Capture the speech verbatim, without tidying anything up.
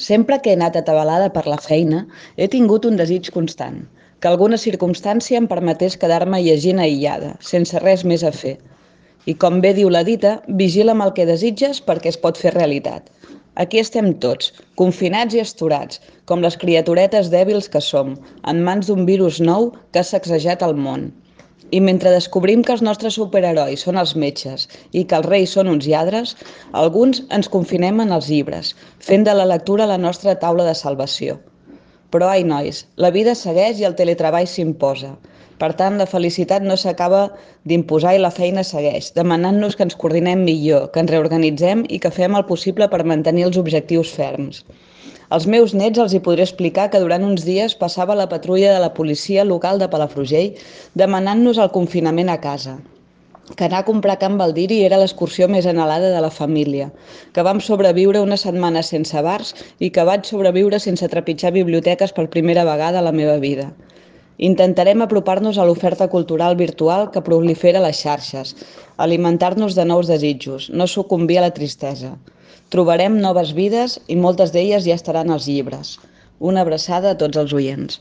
Sempre que he anat atabalada per la feina, he tingut un desig constant, que alguna circumstància em permetés quedar-me llegint aïllada, sense res més a fer. I com bé diu la dita, vigila amb el que desitges perquè es pot fer realitat. Aquí estem tots, confinats i astorats, com les criaturetes dèbils que som, en mans d'un virus nou que ha sacsejat el món. I mentre descobrim que els nostres superherois són els metges i que els reis són uns lladres, alguns ens confinem en els llibres, fent de la lectura la nostra taula de salvació. Però, ai, nois, la vida segueix i el teletreball s'imposa. Per tant, la felicitat no s'acaba d'imposar i la feina segueix, demanant-nos que ens coordinem millor, que ens reorganitzem i que fem el possible per mantenir els objectius ferms. Als meus nets els hi podré explicar que durant uns dies passava la patrulla de la policia local de Palafrugell demanant-nos el confinament a casa, que anar a comprar Can Baldiri era l'excursió més anhelada de la família, que vam sobreviure una setmana sense bars i que vaig sobreviure sense trepitjar biblioteques per primera vegada a la meva vida. Intentarem apropar-nos a l'oferta cultural virtual que prolifera a les xarxes, alimentar-nos de nous desitjos, no sucumbir a la tristesa. Trobarem noves vides i moltes d'elles ja estaran als llibres. Una abraçada a tots els oients.